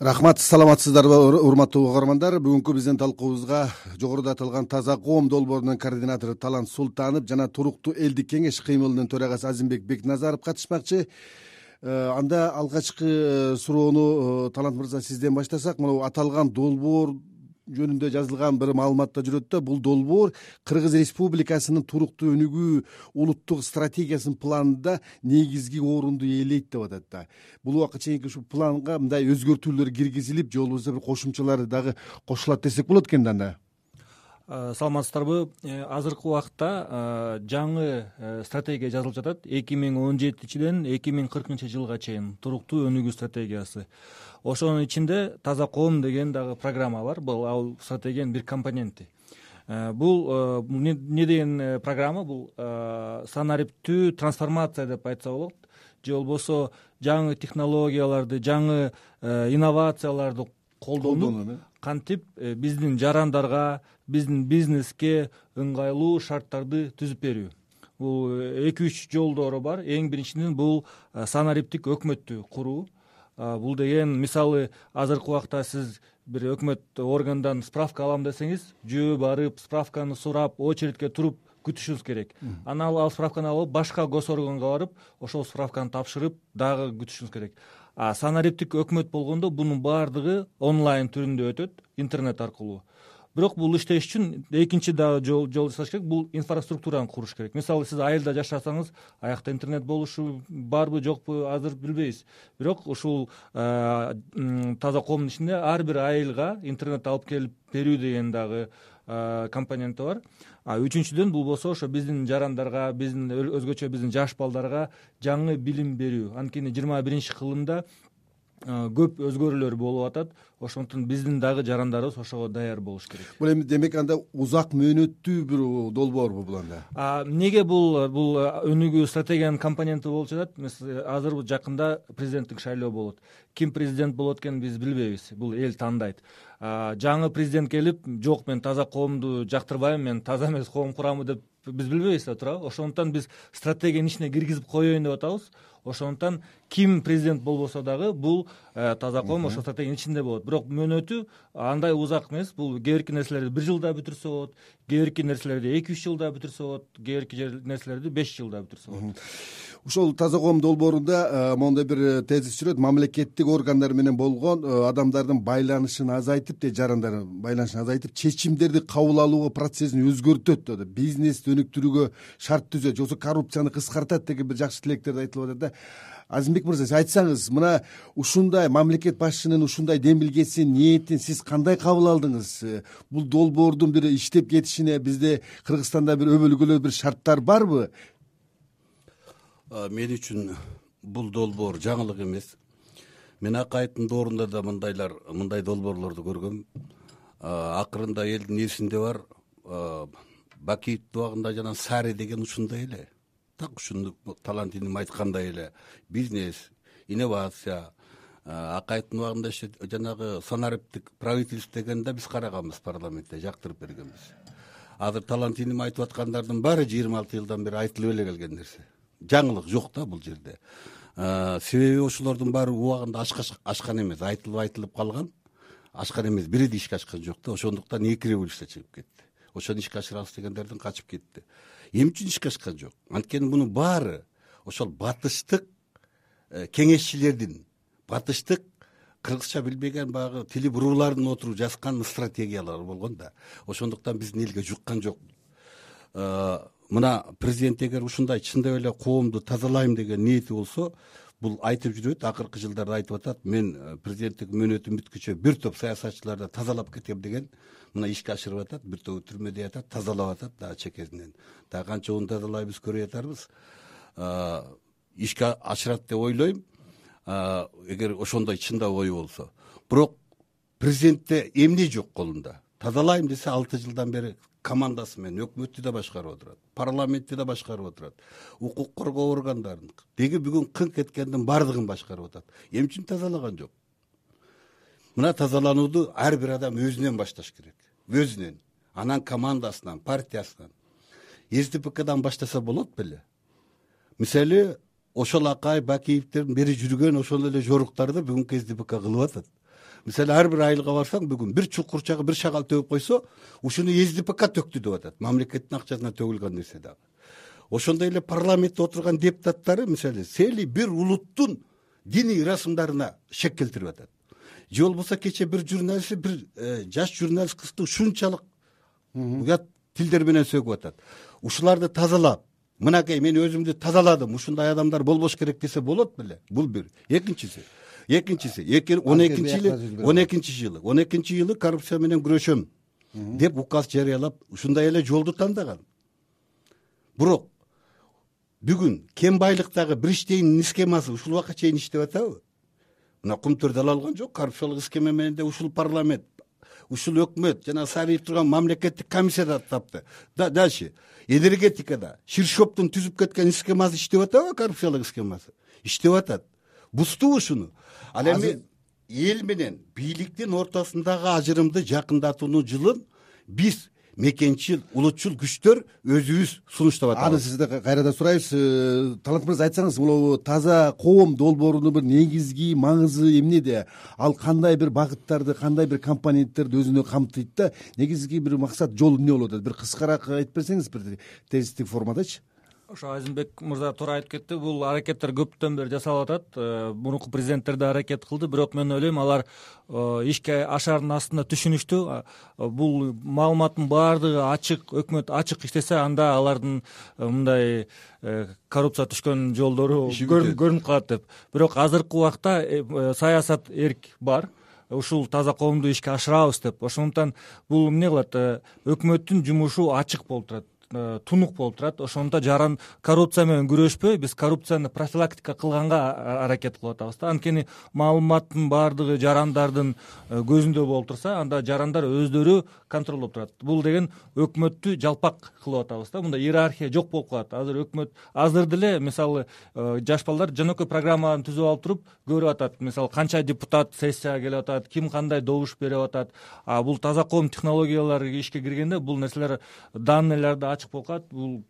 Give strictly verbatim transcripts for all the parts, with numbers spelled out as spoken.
Рахмат, саламатсыздарбы урматтуу угармандар. Бүгүнкү биздин талкуубузга жогоруда аталган Таза коом долбоорунун координатору Талант Султанов жана туруктуу элдик кеңеш кыймылынын төрагасы Азимбек Бекназаров катышмакчы. Анда алгачкы суроону Талант мырза сизден баштасак, мына аталган долбоор жөнүндө жазылган бир маалыматта жүрөт да, бул долбоор Кыргыз Республикасынын туруктуу өнүгүү улуттук стратегиясынын планында негизги орунду ээлейт деп атат да. Бул убакка чейинки ушу планга мындай өзгөртүүлөр киргизилип, же болбосо бир кошумчалар дагы кошулат десек болот экен да анда. Саламатсыздарбы? Азыркы убакта жаңы стратегия жазылып жатат. эки миң он жетинчиден эки миң кыркынчы жылга чейин туруктуу өнүгүү стратегиясы. Ошонун ичинде Таза коом деген дагы программа бар. Бул ал стратегиянын бир компоненти. Бул не деген программа? Бул санариптүү трансформация деп айтса болот. Же болбосо жаңы технологияларды, жаңы инновацияларды колдонуп, кантип биздин жарандарга, биздин бизнеске ыңгайлуу шарттарды түзүп берүү. Бул эки үч жолдору бар. Эң биринчиден бул санариптик өкмөттү куруу. Бул деген, мисалы, азыркы убакта сиз бир өкмөт органдан справка алам десеңиз, жөө барып, справканы сурап, очередке туруп күтүшүңүз керек. Анан ал справканы алып, башка госорганга барып, ошол справканы тапшырып, дагы күтүшүңүз керек. А санариптик өкмөт болгондо бунун баардыгы онлайн түрүндө өтөт, интернет аркылуу. Бирок бул иштеш үчүн экинчи дагы жол жасаш керек, бул инфраструктураны куруш керек. Мисалы, сиз айылда жашасаңыз, аякта интернет болушу барбы, жокпу, азыр билбейбиз. Бирок ушул Таза коомдун ичинде ар бир айылга интернет алып келип берүү деген дагы компоненти бар. А үчүнчүдөн бул болсо ошо биздин жарандарга, биздин өзгөчө биздин жаш балдарга жаңы билим берүү. Анткени жыйырма биринчи кылымда көп өзгөрүүлөр болуп атат. Ошондуктан биздин дагы жарандарыбыз ошого даяр болуш керек. Бул эми демек анда узак мөөнөттүү бир долбоорбу бул анда? А неге бул бул өнүгүү стратегиянын компоненти болуп жатат? Азыр жакында президенттик шайлоо болот. Ким президент болот экенин биз билбейбиз. Бул эл тандайт. Жаңы президент келип, жок, мен Таза коомду жактырбайм, мен таза эмес коом курамы деп биз билбейбиз да, туурабы? Ошондуктан биз стратегиянын ичине киргизип коеюн деп атабыз. Ошондуктан ким президент болбосо дагы бул Таза коом ошо стратегиянын ичинде болот. Бирок мөөнөтү андай узак эмес. Бул кээ бирки нерселерди бир жылда бүтүрсө болот, кээ бирки нерселерди эки үч жылда бүтүрсө болот, кээ бирки нерселерди беш жылда бүтүрсө болот. Ушул Таза коом долбоорунда моундай бир тезис жүрөт: мамлекеттик органдар менен болгон адамдардын байланышын азайтып, де жарандардын байланышын азайтып, чечимдерди кабыл алуу процессин өзгөртөт деп, бизнести өнүктүрүүгө шарт түзөт, жоксо коррупцияны кыскартат деген бир жакшы тилектерди айтылып атат да. Азимбек мырза, сиз айтсаңыз, мына ушундай мамлекет башчынын ушундай демилгесин, ниетин сиз кандай кабыл алдыңыз? Бул долбоордун бир иштеп кетишине бизде Кыргызстанда бир өбөлгөлөө бир шарттар барбы? Мен үчүн бул долбоор жаңылык эмес. Мен акайыттын доорунда да мындайлар, мындай долбоорлорду көргөм. Акырында элдин эсинде бар, Бакиевдин убагында жана Сари деген ушундай эле. Так ушуну Талант иним айткандай эле бизнес, инновация, акайыттын убагында жанагы санариптик правительство дегенде биз караганбыз, парламентте жактырып бергенбиз. Азыр Талант иним айтып аткандардын баары жыйырма алты жылдан бери айтылып эле келген нерсе. Жаңылык жок да бул жерде. Себеби ошолордун баары убагында ашкан эмес, айтылып айтылып калган, ашкан эмес, бири да ишке ашкан жок да. Ошондуктан эки революция чыгып кетти. Ошону ишке ашырабыз дегендердин качып кетти. Эмне үчүн ишке ашкан жок? Анткени мунун баары ошол батыштык кеңешчилердин, батыштык кыргызча билбеген баягы тили буруулардын отуруп жазган стратегиялары болгон да. Ошондуктан биздин элге жуккан жок. Мына президент эгер ушундай чындап эле коомду тазалайм деген ниети болсо, бул айтып жүрөт, акыркы жылдарда айтып атат, мен президенттик мөөнөтүм бүткүчө бир топ саясатчыларды тазалап кетем деген, мына ишке ашырып атат, бир топ түрмөдө ятат, тазалап атат дагы чекесинен. Дагы канча уун тазалайбыз көрүп атарбыз. Ишке ашырат деп ойлойм, эгер ошондой чындап ою болсо. Бирок президентте эмне жок колунда? Тазалайм десе алты жылдан бери командасы менен өкмөттү да башкарып отурат, парламентти да башкарып отурат, укук коргоо органдарын, деги бүгүн кыңк эткендин баардыгын башкарып атат. Эмне үчүн тазалаган жок? Мына тазаланууду ар бир адам өзүнөн башташ керек. Өзүнөн, анан командасынан, партиясынан. эс дэ пэ кадан баштаса болот беле? Мисалы, ошол Акай Бакиевдин бери жүргөн ошол эле жоруктарды бүгүнкү эс дэ пэ ка кылып атат. мисалы ар бир айылга барсаң бүгүн бир чукурчага бир шагал төгүп койсо ушуну СДПК төктү деп атат, мамлекеттин акчасына төгүлгөн нерсе дагы. Ошондой эле парламентте отурган депутаттары мисалы сели бир улуттун диний ырасымдарына шек келтирип атат. Же болбосо кечээ бир журналист бир жаш журналист кызды ушунчалык уят тилдер менен сөгүп атат. Ушуларды тазалап, мынакей мен өзүмдү тазаладым, ушундай адамдар болбош керек десе болот беле? Бул бир. Экинчиси, экинчиси он экинчи жылы он экинчи жылы он экинчи жылы коррупция менен күрөшөм деп указ жарыялап ушундай эле жолду тандаган. Бирок бүгүн кем байлыктагы бир иштейнин схемасы ушул убакка чейин иштеп атабы? Мына Кумтөрдө ала алган жок, коррупциялык схема менен де ушул парламент, ушул өкмөт жана сарыйып турган мамлекеттик комиссияда тапты. Да дальше энергетикада Ширшоптун түзүп кеткен схемасы иштеп атабы? Коррупциялык схемасы иштеп атат. Бузтубу ушуну? Ал эми эл менен бийликтин ортосундагы ажырымды жакындатуунун жылын биз мекенчил, улутчул күчтөр өзүбүз сунуштап атабыз. Аны сизден кайрадан сурайбыз. Талант мырза, айтсаңыз, бул таза коом долбоорунун бир негизги маңызы эмнеде? Ал кандай бир багыттарды, кандай бир компоненттерди өзүнө камтыйт да, негизги бир максат, жол эмне болуп атат? Бир кыскараак айтып берсеңиз, бир тезистик формадачы. Ошо Азимбек мырза туура айтып кетти. Бул аракеттер көптөн бери жасалып атат. Мурунку президенттер да аракет кылды, бирок мен ойлойм алар ишке ашаардын астында түшүнүштү. Бул маалыматтын баардыгы ачык, өкмөт ачык иштесе, анда алардын мындай коррупция түшкөн жолдору көрүнүп калат деп. Бирок азыркы убакта саясат эрк бар. Ушул таза коомду ишке ашырабыз деп. Ошондуктан бул эмне кылат? Өкмөттүн жумушу ачык болуп турат, тунук болуп турат. Ошондо жаран коррупция менен күрөшпөй, биз коррупцияны профилактика кылганга аракет кылып атабыз да. Анткени маалыматтын баардыгы жарандардын көзүндө болуп турса, анда жарандар өздөрү контролдоп турат. Бул деген өкмөттү жалпак кылып атабыз да. Мында иерархия жок болуп калат. Азыр өкмөт азыр деле мисалы жаш балдар жөнөкөй программаны түзүп алып туруп көрүп атат. Мисалы канча депутат сессияга келип атат, ким кандай добуш берип атат. А бул таза коом технологиялары ишке киргенде бул нерселер данныйларды ачык болуп калат. Бул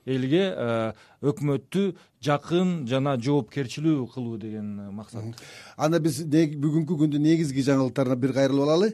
элге өкмөттү жакын жана жоопкерчилүү кылуу деген максат. Анда биз бүгүнкү күндүн негизги жаңылыктарына бир кайрылып алалы.